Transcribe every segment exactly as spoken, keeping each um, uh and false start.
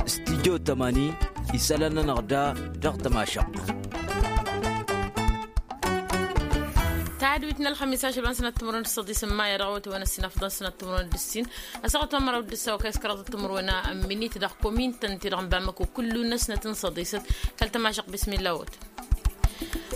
Studyo tămani isălan-nănăɣ da dăɣ-tămašăɣt. Tadwit n-ălxămis ašăl wa n-sănăt timărwen d-săḍis n-maya dăɣ-awăt wa n-ăssin afḍăn sănăt timărwen d-ăssin. Ăsăɣăt wa n-măraw d-ǝssaw kăy-s kăraḍăt timărwen n-minit dăɣ-komin tăn-ti-dăɣ n-bamăko kullu n-ăsnăt n-săḍisăt. Kăl-tămašăɣt bismilla a-wăt.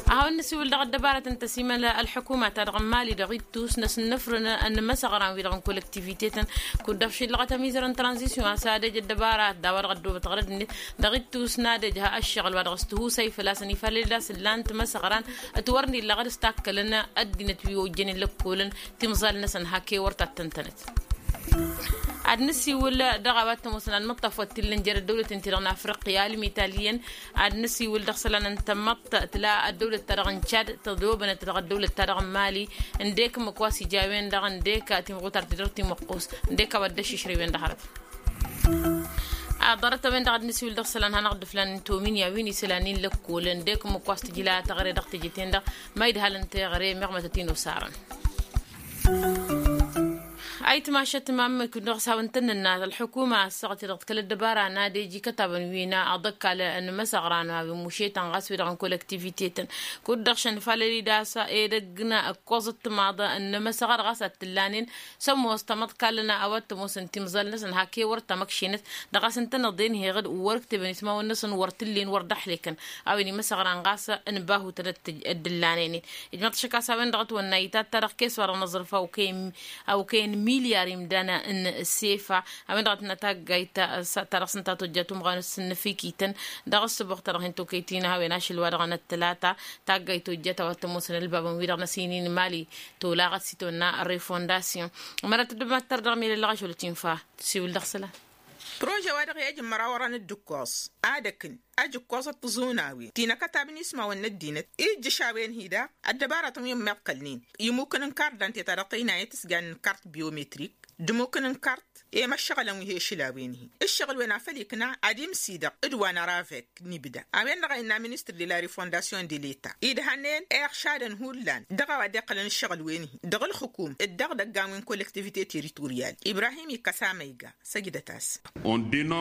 A hawăn-nǝsiwǝl dăɣ-ăddăbarăt n-tăsimăl ălḥukuma-ta-dăɣ n-mali dăɣ-ittus n-asǝnnăfrǝn n-imăsăɣran-wi-dăɣ n-kolektivitetăn. Kud-dăɣ šillăɣăt ămizăr n-tranzisyon a-s ad-ej ăddăbarat d-a-wa dăɣ-ăddoobăt ɣărăd-net dăɣ-ittus n-ad-ej ha ăššăɣǝl wa dăɣ-s tihusay făl-a-s ănifalăl d-asǝllan timăsăɣran. Ătwărnilăɣ d-s takkălăn ăddinăt wi ojjănen lăkkolăn timẓal-năsăn hak'-e wăr tattăn-tănăt. Ad-nǝsiwǝl dăɣ-a-wa t-ămoosăn ad-măṭṭaf wa t-illăn jer-ăddăwlăten-ti-dăɣ n-afriqya ălmitaliyăn. Ad-nǝsiwǝl dăɣ-isălan n-tamăḍt tǝla ăddăwlăt-ta-dăɣ n-cad tădobănăt dăɣ-ăddăwlăt-ta-dăɣ n-mali. Ǝndek ǝmmǝk wa s-ija a-wen-dăɣ ǝndek timɣutar-ti-dăɣ timǝqqus ǝndek a-wa dd-ăššǝšrăy-wen dăɣ-hărăt. Ad-ḍarăt-a-wen-dăɣ ad-nǝsiwǝl dăɣ-isălan hanăɣ-dd-ǝflan n-tominya wi n-isălan-in lăkkol ǝndek ǝmmǝk wa s-tǝjla teɣăre dăɣ-teje-ten-dăɣ. Ma idhalăn teɣăre meɣ mătăt-in osarăn. Ayǝtmašăt mamǝk dăɣ-s hawăn-tăn-nǝnna ălḥukuma ăssaɣăt-i-dăɣ d-kăl-ăddăbara n-ad-ej ikătabăn wi n-aḍăkkal n-imăsăɣran a-wen mušetăn ɣas wi-dăɣ n-kolektivitetăn. Kud-dăɣ šăn falăl-i d-a-s edăgg n-ǝkkoẓăt timaḍ n-imăsăɣra ɣas ad-t-ǝllanen. S-ămoos tamăḍkal n-a-wa t-ămoosăn timẓal-năsăn hak'-e wăr tamăkšenăt. Dăɣ-a-s ǝntăneḍ-en heɣ-dd wăr ǝktebăn ismawăn-năsăn wăr t-ǝllen wăr dd-ăhlekăn. A-wen imăsăɣran ɣas n-bahutăn ădd-ǝllanen-in. Ijmăḍ šăkk a-s a-wen-dăɣ ătwănna itat-ta-dăɣ kes-wa-dăɣ n-aẓrǝf a okăyăn milyar imdan n-sefa. A-wen-dăɣ a tǝnna taggayt ta-dăɣ s-ǝnta tojja tumɣan s-ǝnnǝfikităn dăɣ-ăssǝboɣ-ta-dăɣ hin-tokăyt-in a-wen ašăl wa-dăɣ n-ăttălata. Taggayt tojjat a-wa t-ămoosăn ălbabăn-wi-dăɣ n-ăsinin mali tolaɣăt s-itwănna refondasyon. Ămăra tăddăbmat tărdăɣ milăllăɣ ašăl tinfa tǝsiwǝl dăɣ-isălan. Prože-wa-dăɣ i-ăj n-imărawărăn d-ǝkkoẓ ad-ăkǝn ăj ǝkkoẓăt tiẓunawen ti n-akătab n-ismawăn n-ăddinăt ijjǝš a-wen-hi daɣ ăddăbaratăn wi ămmiḍkălnen imukăn n-kart dante-ta-dăɣ tăynayăt s-jan n-kart biometrik d-imukăn n-kart i-măššăɣǝlăn wi he-išǝl a-wen-hi. Ǝššăɣǝl-wen a făl ikna ad-imsidăɣ d-wa n-aravek n-ibda a-wen-dăɣ a innă ministăr de la refondasyon de leta idhănnen iɣšadăn hullan dăɣ-a-wa dd-iqqălăn ǝššăɣǝl-wen-hi dăɣ-ǝlxǝkum d-dăɣ-idăggan wi n-kolektivite teritoryal ibrahim ikkăs amăyga. Săjdăt-as.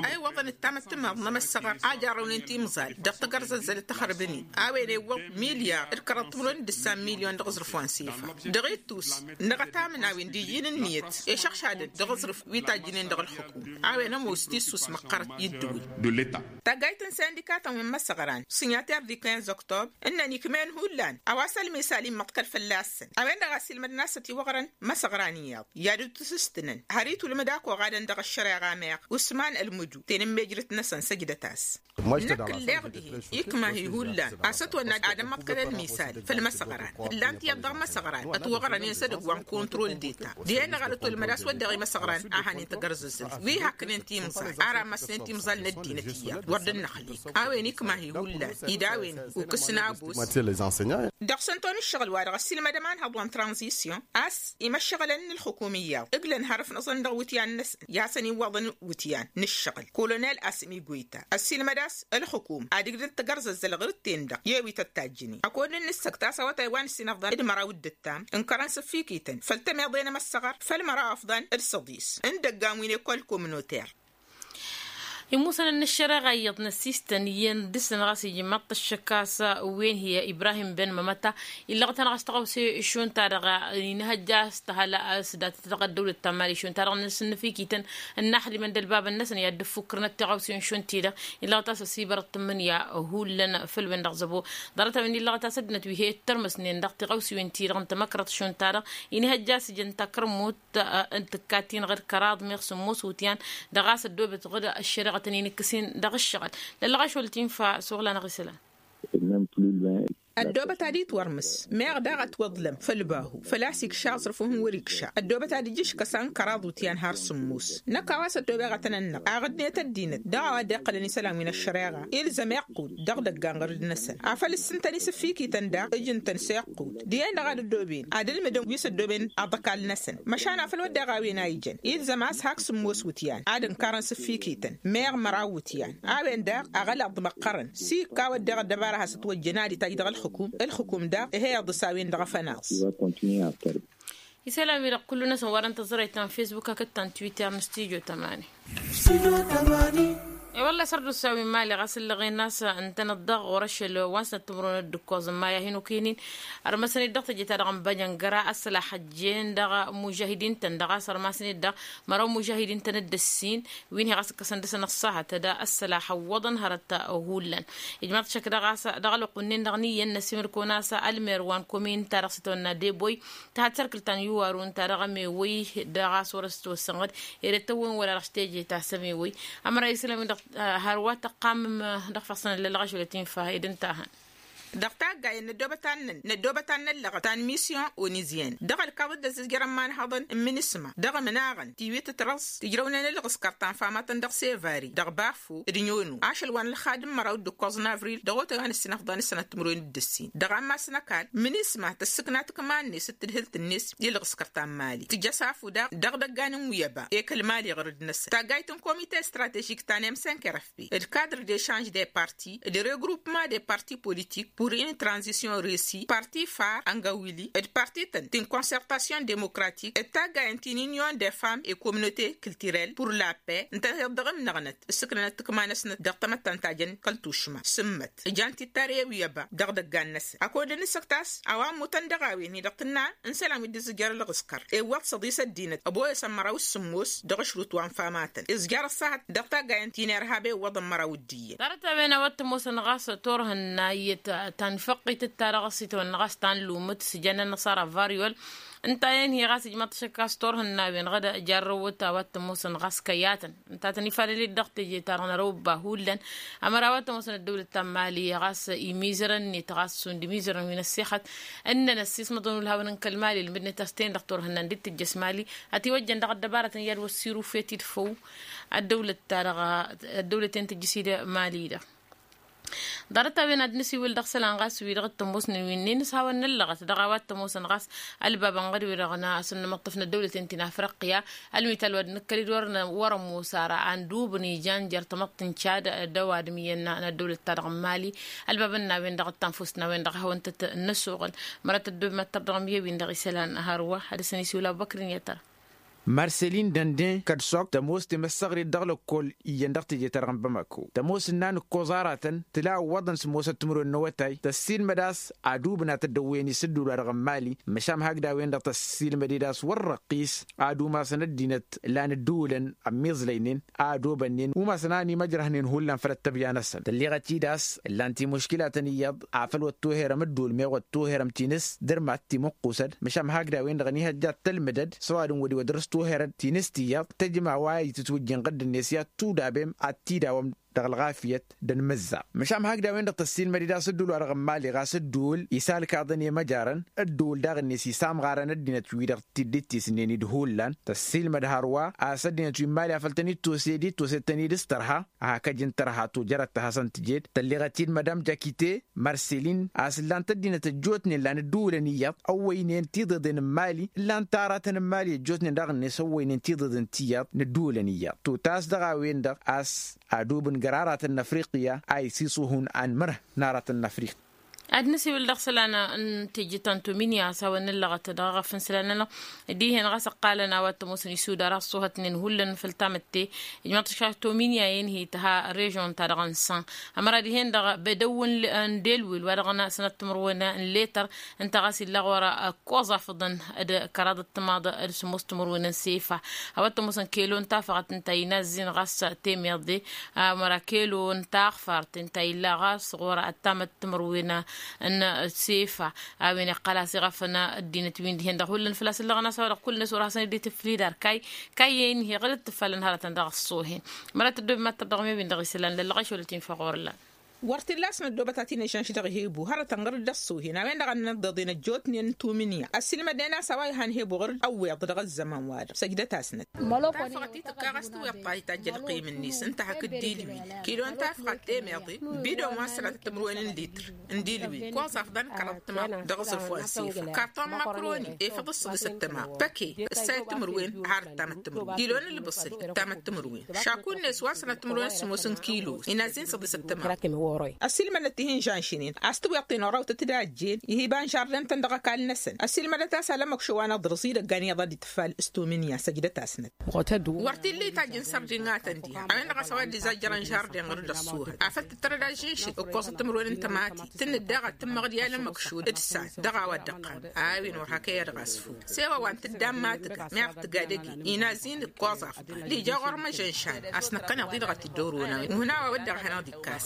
A iwwăḍăn d-tamăttămaḍt n-emăssăɣăr a jarrăwnen timẓal dăɣ-tagărzăzzălăt tăxrăbăn-in a-wen iwwăḍ milyar d-kăraḍ timǝrwen d-ǝssan milyon dăɣ-aẓrǝf wa n-sefa. Dăɣ-ittus n-dăɣ-ătamǝnawen d-iji n-ǝnniyăt išăɣšadăn dăɣ-aẓrǝf wi tajjǝnen dăɣ-ǝlxǝkum. A-wen ămoos tissus măqqărăt i-ǝddǝwǝl. Taggayt n-sindikatăn wi n-imăssăɣran sinyater di quinze octobre ǝnnăn ikmen hullan a-wa s-ălmisal immăḍkăl fălla-săn a-wen-dăɣ a ăsilmădăn a-s ătiwăɣrăn imăssăɣran iyyăḍ i-ad-dd-tǝsǝstǝnăn har itulmǝd ak oɣadăn dăɣ-ăššăreɣa meɣ usman ălmǝju tenǝmmejrăt-năsăn săjdăt-as. Năkk ǝlleɣ dihen ikma-hi hullan a-s ătwănna ad-ămmăḍkăl ălmisal făll-imăssăɣran ǝllan tiyyăḍ dăɣ-imăssăɣran ătwăɣrănen s-edăgg wa n-kontrol deta dihen-dăɣ ad-ătwălmăd a-s wădden imăssăɣran a hanen tagărzăzzălt wi hakknen timẓal ara ămmăsnen timẓal n-ăddinăt iyyăḍ wăr dd-năxlek. A-wen ikma-hi hullan ida-wen ukǝs n-abus. Dăɣ-săn ton ǝššăɣǝl-wa-dăɣ ăssiilmădăm anhăḍ wa n-tranzisyon a-s imăššăɣǝlăn n-ǝlxǝkum iyyăḍ ǝglăn har ǝfnăẓăn dăɣ-iwǝtyan-năsăn i-ad-săn-iwwăḍăn iwǝtyan n-ǝššăɣǝl kolonel asmi goyta ăssiilmăd a-s ǝlxǝkum ad-ǝgdăd tagărzăzzăl ɣǝr-ǝtten-dăɣ i-ewităt tajjǝnen ăkod n-nǝssăkt a-s awătay wa n-ǝssin ăfḍăn d-măraw d-ǝttam ǝnkărăn s-ǝffikităn făll-tămeḍe n-emăssăɣăr făll-măraw ăfḍăn d-săḍis n-idăggan wi n-ekol komnoter. Imusăn n-ăššăreɣa iyyăḍ n-ăssistăn iyyăn dăr-săn ɣas ijmaḍ-t ăššăk a-s wen hi-ibrahim ben mămăta illăɣ-tăn ɣas tăɣawse šund-ta-dăɣ inhăjja a-s tăhăl a-s dat-tăɣ ăddăwlăt ta n-mali šund-ta-dăɣ n-asǝnnǝfikităn ǝnnaxdimăn d-ălbabăn-năsăn i-ad-dd-ǝffukrănăt tiɣawsen šund-ti-dăɣ. Illăɣ-t a-s ăsibărăt tǝmmǝnǝya hullan făll-wen-dăɣ zăbo ḍarăt-a-wen illăɣ-t a-s ăddinăt wi he-ittărmăsnen dăɣ-tiɣawsiwen-ti-dăɣ n-tamăkrăḍt šund-ta-dăɣ inhăjja a-s ǝjăn takărmut n-tǝkkat-ti-năɣ d-kăraḍ meɣ sǝmmos iwǝtyan dăɣ-a-s ăddoobet ɣǝd ăššăreɣătăn-in ǝkkǝsen dăɣ-ǝššăɣǝl. Lăllăɣ ašol tinfa suɣla-năɣ isălan. Ăddoobăt ad-itwărmǝs meɣ daɣ ătwăḍlăm făll-bahu făl-a-s ikša aẓrǝf wa hin-wăr-ikša ăddoobăt ad-ija iškăsa n-kăraḍ iwǝtyan har sǝmmos. Năkk a-wa s-ăddoobeɣ ad-tăn-ănnăɣ aɣǝdnet ăddinăt dăɣ-a-wa dd-iqqălăn isălan wi n-ăššăreɣa ilzăm iqqud dăɣ-idăggan ɣărăd-năsăn afăl ǝssǝntăn isǝffikităn daɣ ǝjǝn-tăn s-iqqud dihen-dăɣ ad-ăddooben ad-ǝlmǝdăn wi s-ăddooben aḍăkal-năsăn. Măšan afăl wădden a-wen a ijăn ilzăm a-s hak sǝmmos iwǝtyan ad-ǝnkarăn s-ǝffikităn meɣ măraw iwǝtyan a-wen daɣ aɣălaḍ măqqărăn s-ikka wădden ăddăbara has-ătwăjjăn ad-itaj dăɣ-ǝlxǝkum ǝlxǝkum daɣ ih'-e iḍǝs a-wen-dăɣ afănaẓ. Isălan-wi-dăɣ kullu-năsăn wa dăɣ-tăẓrăyt ta n-fesbuk hakd ta n-twitter n-studio tămani. E-wălla-hi săr-dd usawi n-imali ɣas ǝllăɣen a-s ǝntăneḍ-dăɣ ɣur-ašăl wa n-sănăt timǝrwen d-ǝkkoẓ n-maya hin-okăyăn-in. Ărmăsăn-dd dăɣ-teje-ta-dăɣ n-băjăngăra ăssălax ăjjeen dăɣ-mužahidin-tăn-dăɣ a-s ărmasăn-dd dăɣ-măraw mužahidin-tăn dd-ǝssin wi n-hi-ɣas ǝkkăsăn dăɣ-săn ăṣṣahăt d-ăssălax ăwwăḍăn hărăt hullan. Ijmaḍ šăk dăɣ-a-s dăɣ-ălwăqq-wǝnnin-dăɣ n-iyyăn n-ăsimǝrko n-a-s ălmer wa n-komin-ta-dăɣ s-itwănna deboy. Tăhăt sărkǝl ta n-iwarun ta dăɣ-emewăy dăɣ-a-s wăr-ăstosănɣăd ere tăwwăn wăla dăɣ-s teje ta s-emewăy. Ămăra isălan-wi-dăɣ har wa tăqqamăm dăɣ-făɣ s-năllălăɣ ašăl ătinfahăy d-ǝnta-hăn. Dăɣ-taggayen n-ăddoobăt ta n-năn n-ăddoobăt ta n-năllăɣăt ta n-misyon onizyen dăɣ-ălkaḍăt d-ăzzǝjjărăn imanhăḍăn n-minisma dăɣ-imnaɣăn tiwit tărăẓ tǝjrăwnen ǝlɣǝskăr ta n-famatăn dăɣ-sevari dăɣ-bafo d-nyono ašăl wa n-ălxad n-măraw d-ǝkkoẓ n-avril dăɣ-otay wa n-ǝssinăfḍan s-sănat timǝrwen d-ǝssin. Dăɣ-ammas n-ăkall minisma tǝssǝkna tǝkma-net d-tǝdhǝlt-net i-ǝlɣǝskăr ta n-mali tǝjjăs afu daɣ dăɣ-idăggan n-wi ăba ekăl mali ɣur-dd-năsăn taggayt n-komite stratežik ta n-emsenkerăf d-kadr d-echanž de parti d-regrupma de parti politik pur in tranzisyon resi parti far angawili d-parti-tăn ti n-konsertasyon demokratik d-taggayen ti n-inyon de fam e kominote kiltirel pur la pe ǝntăneḍ dăɣ-imnăɣnăt ǝssǝknănăt tǝkma-năsnăt dăɣ-tamăttant ta jăn kăl-tušma sǝmmăt. Ǝjan tittare wi ăba dăɣ-idăggan-năsăn ăkod n-isăktas a-wa ămmutăn dăɣ-a-wen-hi-dăɣ tǝnna n-isălan wi dd-ǝzjăr ǝlɣǝskăr ewwăḍ s-ăḍis ăddinăt ăboyăsăn măraw s-sǝmmos dăɣ-ašrut wa n-famatăn ǝzjăr ăṣṣahăt dăɣ-taggayen ti n-irhab ewwăḍăn măraw d-iyyăn. Ḍarăt-a-wen a-wa t-ămoosăn ɣas turhǝnna iyyăt ta n-făqqităt ta dăɣ-s itwănna ɣas ta n-lumǝt s-ijăn ănnăṣara varyol. Ǝnta a-wen-hi ɣas ijmaḍ-t ašăk a-s turhǝnna-wen ɣad jarrăwăt a-wa t-ămoosăn ɣas kăyyatăn ǝnta a tăn-ifalăl-dd dăɣ-teje-ta-dăɣ n-ărobba hullan. Ămăra a-wa t-ămoosăn ăddăwlăt ta n-mali ɣas imizărăn-net ɣas šund imizărăn wi n-ăssixăt ǝnnăn ăssiismăḍăn ulhawăn n-kăl-mali ǝlmǝdnet a-s ten-dăɣ turhǝnnan dd-tǝjjăš mali. Ătiwăjjăn dăɣ-ăddăbarătăn i-ad-wăssirufet-dd făw ăddăwlăt-ta-dăɣ ăddăwlăten tǝjjǝs-dd mali-dăɣ. Ḍarăt-a-wen ad-nǝsiwǝl dăɣ-isălan ɣas wi-dăɣ t-ămoosnen wi-ǝnnin s-hawăn-năllăɣăt dăɣ-a-wa t-ămoosăn ɣas ălbab ănɣăd-wi-dăɣ n-asǝnnămăṭṭăf n-ăddăwlăten ti n-afriqya. Ălmital wa dd-nǝkkăl-dd wăr-năwwăr ămoos ara a n-dubǝn ijan jer-tamăḍt n-cad d-ăwadǝm iyyăn n-ăddăwlăt-ta-dăɣ n-mali. Ălbab n-a-wen-dăɣ d-tanfust n-a-wen-dăɣ a hawăn-tăt-năsuɣǝl mărăt ăddob mad-tărdăɣăm i-wi-dăɣ isălan hărwa. Ad-dăr-săn isiwǝl abubăkr n-i-ad-tăra. Marselin dănden kăd-săɣ tămoos temăssăɣrit dăɣ-lăkkol iyyăn dăɣ-teje-ta-dăɣ n-bamako tămoos ǝnnan ǝkkoẓ aratăn tǝla ǝwwăḍăn s-ămoosăt timǝrwen n-awătay tăssiilmăd a-s adub n-ad-tăddăwwăyăn isǝddul wa dăɣ-n mali. Măšan hakd a-wen-dăɣ tăssiilmăd-dd a-s wăr răqqis ad-umasăn ăddinăt lan ǝddǝwǝlăn ămmiẓlăynen a ădobănnen umasăn a ănimăjrăhnen hullan făll-ăttăbya-năsăn tălleɣăt-dd a-s ǝllan timuškilatăn iyyăḍ afăl wăr toherăm ǝddǝwǝl meɣ wăr toherăm tinǝs dăr-mad timǝqqusăd. Măšan hakd a-wen-dăɣ ănihăjja d-tălmǝdăd s-ăwadǝm wăr-i wăr dăr-s toherăd tinǝs tiyyăḍ tăjma wa itǝtwǝjjin ɣǝddǝn-net i-ad-tudabem ad-t-idawăm dăɣ-ălɣafyăt d-anmǝzza. Măšan hakd a-wen-dăɣ tăssiilmăd-dd a-s ǝddǝwǝl wa dăɣ-n mali ɣas ǝddǝwǝl isalkaḍăn i-măjarăn ǝddǝwǝl daɣ-net isamɣarăn ăddinăt wi-dăɣ t-dd-ittisnen-dd hullan tăssiilmăd hărwa a-s ăddinăt wi n-mali afăl tănit-tosed-dd tosed-tăn-dd s-tărha. Hakăj n-tărha tojărăt ta hasăn-tǝjed tălleɣăt-dd madam jakite marselin a-s ǝllan-t ăddinăt ăjjootnen lan ǝddǝwǝlăn iyyăḍ ăwwăynen tiḍeḍen n-mali ǝllan-t aratăn n-mali ăjjootnen daɣ-net ăwwăynen tiḍeḍen ti iyyăḍ n-ǝddǝwǝlăn iyyăḍ totas dăɣ-a-wen-dăɣ a-s adub n-găraratăn n-afriqya a isiṣuhun anmărh n-aratăn n-afriqya. Ad-nǝsiwǝl dăɣ-isălan n-tejǝt ta n-tominya a-s hawăn-nǝllăɣăt dăɣ-aɣăf n-isălan-nănăɣ dihen ɣas ǝqqalăn a-wa t-ămoosăn isudar a ăṣṣuhătnen hullan făll-tamătte. Ijmăḍ tǝškak tominya-en hi-tǝha režon-ta-dăɣ n-san ămăra dihen-dăɣ bedăw n-delwil wa dăɣ-năsnăt timǝrwen n-letăr ǝnta ɣas illa ɣur-ăkkoẓ afǝḍăn d-kăraḍ ăttămaḍ d-sǝmmos timǝrwen n-sefa. A-wa t-ămoosăn kelo n-tafăɣăt ǝnta inazzin ɣas temeḍe ămăra kelo n-taɣfart ǝnta illa ɣas ɣur-ăttamăt timǝrwen n-sefa. A-wen iqqăl-as iɣăfăn ăddinăt wi n-dihen-dăɣ hullan făl-a-s ǝllăɣăn a-s a-wa-dăɣ kull-net wăr hasăn-dd-itǝflid ar kayy kayy-en hi-ɣǝd ǝttǝfalăn hărătăn dăɣ-ăṣṣohen. Mărăt ăddoob mad-tărdăɣăm i-wi n-dăɣ isălan lăllăɣ ašăl ătinfăɣ ɣur-ǝllan. Wăr t-illa a-s n-ăddoobăt a t-in-ăžžănš dăɣ-hebu hărătăn ɣǝr-dd ăṣṣohen a-wen-dăɣ a n-inăḍḍeḍen ăjjootnen n-tuminya ăssiilmădnen a-s a-wa ihan hebu ɣǝr-dd ăwweḍ dăɣ-ăzzăman-wa-dăɣ săjdăt-asnăt. Tafăɣăt-i tǝkka ɣas tiweḍt-ta itajj ălqim-net ǝnta hakd dilwi kilo n-tafăɣăt temeḍe bidon wa n-sănatăt timǝrwen n-litr n-dilwi koẓaf d-anăkkăraḍ tămaḍ dăɣ-aẓrǝf wa n-sifa karton n-makroni efăḍ s-săḍis ăttăma păke ǝssayăt timǝrwen har ǝttamăt timǝrwen kilo n-ǝlbǝṣǝl ǝttamăt timǝrwen šaku-net wa n-sănatăt timǝrwen s-sǝmmos n-kilo inazzin săḍis ăttăma. Ăssiilmădnăt tihǝnžan šinen a-s tǝwweḍ-ten orawtăt d-ajjen ihiba n-žarden-tăn dăɣ-ăkall-năsăn. Ăssiilmădăt a-s alămmăkšo wa n-aḍrǝẓ-i d-ăggan iyyăḍ ad-dd-tǝffal s-tominya săjdăt-asnăt. Wăr t-illa itajj n-sărdiŋatăn diha a-wen-dăɣ a-s a-wa dd-izajjărăn žarden ɣur-dd ăṣṣuhăt afăl tǝttărăd ažžǝnšǝl ǝkkoẓăt timǝrwen n-tămati tǝnnǝd daɣ ad-tǝmmăɣ d-i alămmăkšo d-ǝssan dăɣ-a-wa dd-ăqqan. A-wen wăr hak'-e ad-ɣas ful s-e-wa wa n-tǝddan ma tǝga meɣ tǝga dăgg-i inazin ǝkkoẓ afḍal ija ɣur-măžănšan a-s năkkăneḍ-i dăɣ-t dd-orăwăn a-wen. Ǝhǝn a-wa wădden ad-hanăɣ-dd-ikkas.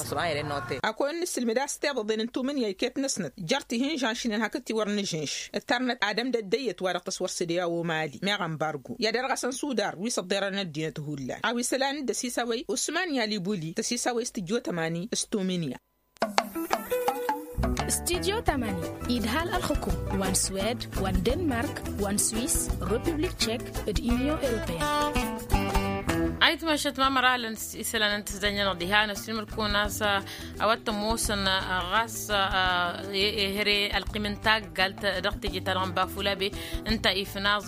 Ăkall n-ǝssǝlmǝd a-s tiḍăḍen n-tumǝnǝya iket-năsnăt jer-tihǝnžan šǝnăn hakd tiwăr n-ažǝnš ǝttărnăt ad-ămdăd d-ăyyăt wa dăɣ-tăswăr s-dd i-a-omali meɣ ănbargo i-ad-irɣăsăn sudar wi s-ăḍḍerăn ăddinăt hullan a-wa isălan d-ăsisawăy usman i-alibuli tăsisawăy s-tǝjjo tămani s-tumǝnǝya. Studyo tămani idhal ălxǝkum wa n-swed wa n-denmark wa n-swis, republik tšek d-union europeen. Ayǝtmašăt mamăralăn isălan n-tǝzdănjănăɣ diha n-ăssinmăl-kăwăn a-s a-wa t-ămoosăn ɣas ehăre ălqim n-taggalt dăɣ-teje-ta-dăɣ n-bafulabe ǝnta ifnaẓ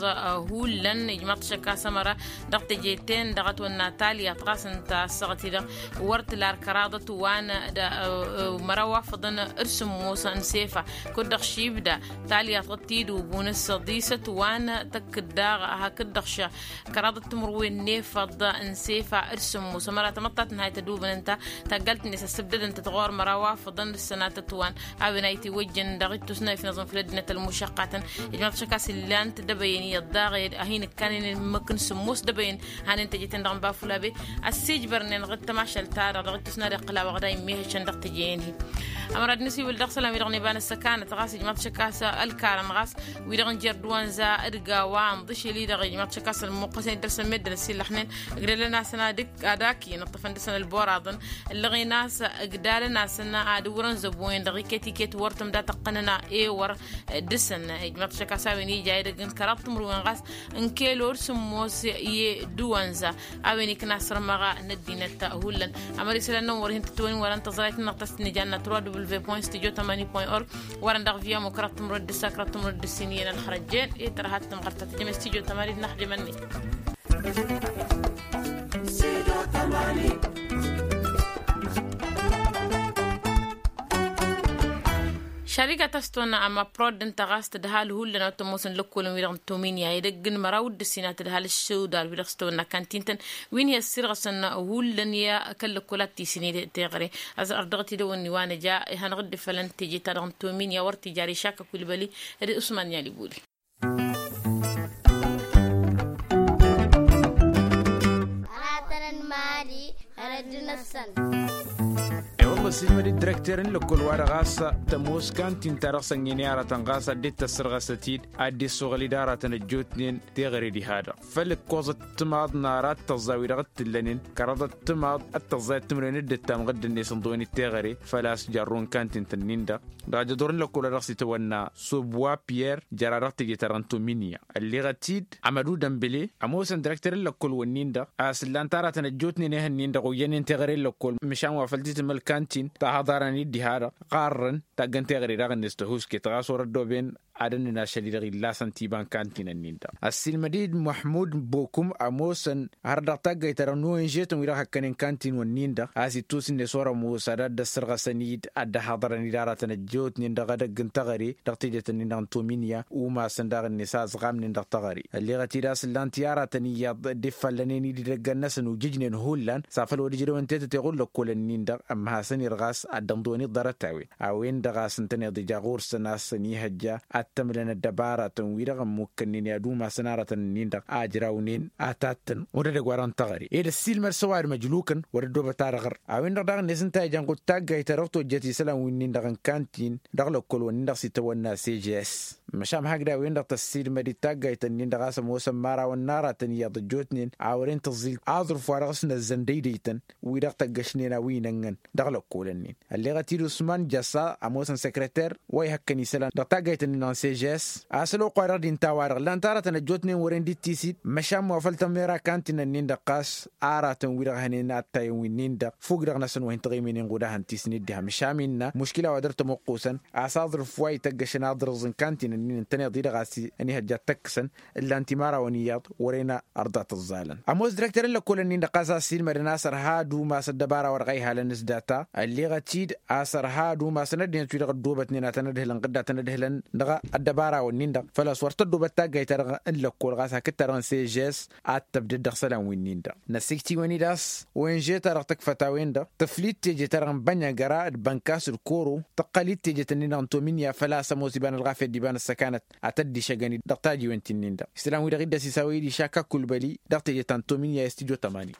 hullan ijmaḍ-t šăkk a-s ămăra dăɣ-teje-ten-dăɣ ătwănna talyaḍt ɣas ǝnta ăssaɣăt-i-dăɣ wăr t-lar kăraḍăt wa n-măraw wa făḍăn d-sǝmmos n-sefa. Kud-dăɣ šibda talyaḍt ɣǝttidubun s-săḍisăt wa n-tăkk-dd daɣ hakd-dăɣ ša kăraḍăt timǝrwen n-efăḍ n-sefa d-sǝmmos ămăra tamăḍtat n-hayt ădubăn ǝnta taggalt-net ăssǝbdădăn-tăt ɣur-măraw wa făḍăn d-sănatăt wa n-a-wen a itiwăjjăn dăɣ-ittus n-a ifnăẓăn făll-ăddinăt ălmušăqqatăn. Ijmaḍ-t šăkk a-s illan-t dăbăyăn iyyăḍ daɣ a hin-ǝkkanen ǝmmǝk n-sǝmmos dăbăyăn hanen teje-ten-dăɣ n-bafulabe ăssiijbărnen ɣǝd tamašalt-ta-dăɣ dăɣ-ittus n-ad-iqqǝl a-wa ɣǝd a immeha šăn dăɣ-teje-en-hi. Ămăra d-nǝsiwǝl dăɣ-isălan-wi-dăɣ n-iba n-ăssăkanăt ɣas ijmaḍ-t šăkk a-s ălkarăn ɣas wi-dăɣ n-jer-dd wa n-za d-gawa ănḍǝšel-i-dăɣ ijmaḍ-t šăkk a-s ălmuqqăsen dd-ărsăn meddǝn ăsillăxnen ǝgdălăn-asăn ad-ǝkk ad-akǝyăn ǝṭṭăfăn dăɣ-săn ălboraḍăn. Ǝllăɣen a-s ǝgdalăn-asăn ad-ǝwrăn zăbo-en dăɣ-iket-iket wăr tǝmda tăqqănăn ewăr dăɣ-săn. Ijmaḍ-t šăkk a-s a-wen ija edăgg n-kăraḍ timǝrwen ɣas n-kelo d-sǝmmos i-dd-wănza a-wen ikna sărmăɣa n-ăddinăt hullan. Ămăra isălan-năwăn wăr hin-tǝttǝwăn wăren tăẓrayt-nănăɣ ta s-tǝnnǝja n-natura w v point studio tamani point org. Wăren dăɣ-viya mo kăraḍ timǝrwen d-ǝssa kăraḍ timǝrwen d-ǝssin iyyăn ălxărăjjen i-tărha d-tǝmɣăr ta tǝjjăm studio tamani d-inăxjăm-net. Šariga ta s-tăwănna ama prod ǝnta ɣas tǝdhal hullan a wa t-ămoosăn lăkkolăn wi-dăɣ n-tominya edăgg n-măraw d-ǝssin a tǝdhal ǝššudal wi-dăɣ s-tăwănna kantintăn wi n-hi-ăssirɣăsăn hullan i-kăl-lăkkol ad-t-isǝned teɣăre. Ărdăɣăt idăwănni wa nǝja ihanăɣ-dd-ifălăn teje-ta-dăɣ n-tominya wăr t-ijari šakk ăkulbăli d-usman n-alibuli. Ăratăn n-mali ărădd-năsăn. I-wălla ăssiilmăd-dd direkter n-lăkkol-wa-dăɣ ɣas tămoos kantin-ta-dăɣ s-ănnin i-aratăn ɣas ad-dd-tăssărɣăsăt-dd ad-dd-issuɣǝl-dd aratăn ăjjootnen teɣăre diha-dăɣ făll-ǝkkoẓăt timaḍ n-arat tăẓẓa wi-dăɣ t-ǝllănen kăraḍăt timaḍ d-tăẓẓa i-timǝrwen d-ǝttamăɣ dd-ănnes ǝnḍǝwăn-dd teɣăre. Făl-a-s jarrun kantin-tăn-in-dăɣ dăɣ-ajăḍur n-lăkkol-a-dăɣ s-itawănna subwa piyer jăra dăɣ-teje-ta-dăɣ n-tominya. Ălleɣăt-dd amădu dămbǝle ămoosăn direkter n-lăkkol-wǝnnin-dăɣ a-s ǝllan-t aratăn ăjjootnen ehăn-nin-dăɣ oyyănen teɣăre n-lăkkol măšan wa făl t-tǝmǝl kantin ta haḍarăn-dd diha-dăɣ ɣarrăn taggăn teɣăre daɣ-net tăhuusket ɣas wăr-ăddooben ad-ănnăn ašăl-i-dăɣ illasăn tiba n-kantin-ǝnnin-dăɣ. Ăssiilmăd-dd muḥmud bokum ămoosăn har dăɣ-taggayt-ta-dăɣ n-onžetăn wi-dăɣ hăkkănen kantin-wǝnnin-dăɣ a-s ittus-net wăr-ămoos ad-dd-ăssărɣăsăn-dd ad-dd-haḍărăn-dd aratăn ăjjootnen dăɣ-edăgg n-teɣăre dăɣ-tejet-ǝnnin-dăɣ n-tominya. Umasăn daɣ-net a ăẓɣamnen dăɣ-teɣăre ălleɣăt-dd a-s ǝllan-t i-aratăn iyyăḍ dd-iffallănen-dd idăggan-năsăn ujǝjnen hullan s-afăl wăr ǝjrewăn tetăteɣ n-lăkkol-ǝnnin-dăɣ ămmăhasăn irɣas ad-dd-ănḍăwăn-dd ḍarăt-a-wen a-wen-dăɣ a-s ǝntăneḍ ija ɣur-săn a-s ănihăjja ad-t-ămlăn ăddăbaratăn-wi-dăɣ ămmukkănnen i-ad-umasăn aratăn-nin-dăɣ a ǝjrawnen ad-tattăn wăr edăgg wa-dăɣ n-teɣăre ed ăssiilmăd s-ăwadǝm ăjlukăn wăr ăddoobăt ad-ăɣrǝr. A-wen-dăɣ daɣ-net ǝnta a ijan ɣud taggayt ta dăɣ-tojjăt isălan wi-nin-dăɣ n-kantin dăɣ-lăkkol-wǝnnin-dăɣ s-itawănna s-ežes măšan hakd a-wen-dăɣ tăssiilmăd-dd taggayt-ǝnnin-dăɣ a-s ămoosăn imărawăn n-aratăn iyyăḍ ăjjootnen a wăren tǝẓẓil aẓrǝf wa dăɣ-s năzzăn dăydăytăn wi-dăɣ tăggăšnen a-wi inănnăn dăɣ-lăkkolăn-in. Ălleɣăt-dd usman jăssa ămoosăn săkrăter wa ihăkkăn isălan dăɣ-taggayt-ǝnnin-dăɣ n-sežes a-s ălwăqq-wa-dăɣ d-inta a-wa-dăɣ ǝllan-t aratăn ăjjootnen wăren dd-tisid măšan mafăl tămera kantin-ǝnnin-dăɣ ɣas aratăn-wi-dăɣ hănen ad-tayăn wi-nin-dăɣ fugg-dăɣ-năsăn wa hin-tăɣimenen ɣud a hăn-tisnǝd diha măšan innă muškila wa dăr-tămoqqusăn a-s aẓrǝf wa ităggăšăn aḍrǝẓ n-kantin. n-tăneḍ-i-dăɣ a-s ănihăjja ad-tăkkăsăn ǝllan timărawăn iyyăḍ wăren. Ărḍa tǝẓẓalăn ămoos dirăktăr n-lăkkolăn-nin-dăɣ ɣas a-s ilmădăn a-s ărha ad-umas ăddăbara wa dăɣ-a ihalăn s-data ălleɣăt-dd a-s ărha ad-umasăn ăddinăt-wi-dăɣ ăddoobătnen ad-tăn-ădhǝlăn ɣǝdda ad-tăn-ădhǝlăn dăɣ-ăddăbara-wǝnnin-dăɣ făl-a-s wăr tăddoobăt taggayt-ta-dăɣ n-lăkkol ɣas hakd-ta-dăɣ n-sežes ad-tăbdăd dăɣ-isălan wi-nin-dăɣ năssikt'-iwăn-dd a-s wenže-ta-dăɣ tǝkfăt a-wen-dăɣ tǝflid teje-ta-dăɣ n-bănăgăra d-bănkas d-koro tăqqăl-dd teje-tăn-dd-dăɣ n-tominya făl-a-s ămoos iba n-ălɣafyăt d-iba n-ăssăkanăt ad-tăddišăgăn-dd dăɣ-tajiwen ti-nin-dăɣ isălan-wi-dăɣ-dd-ăsisawăy-dd išak akulbăli dăɣ-teje ta n-tominya i-s tijo tămani.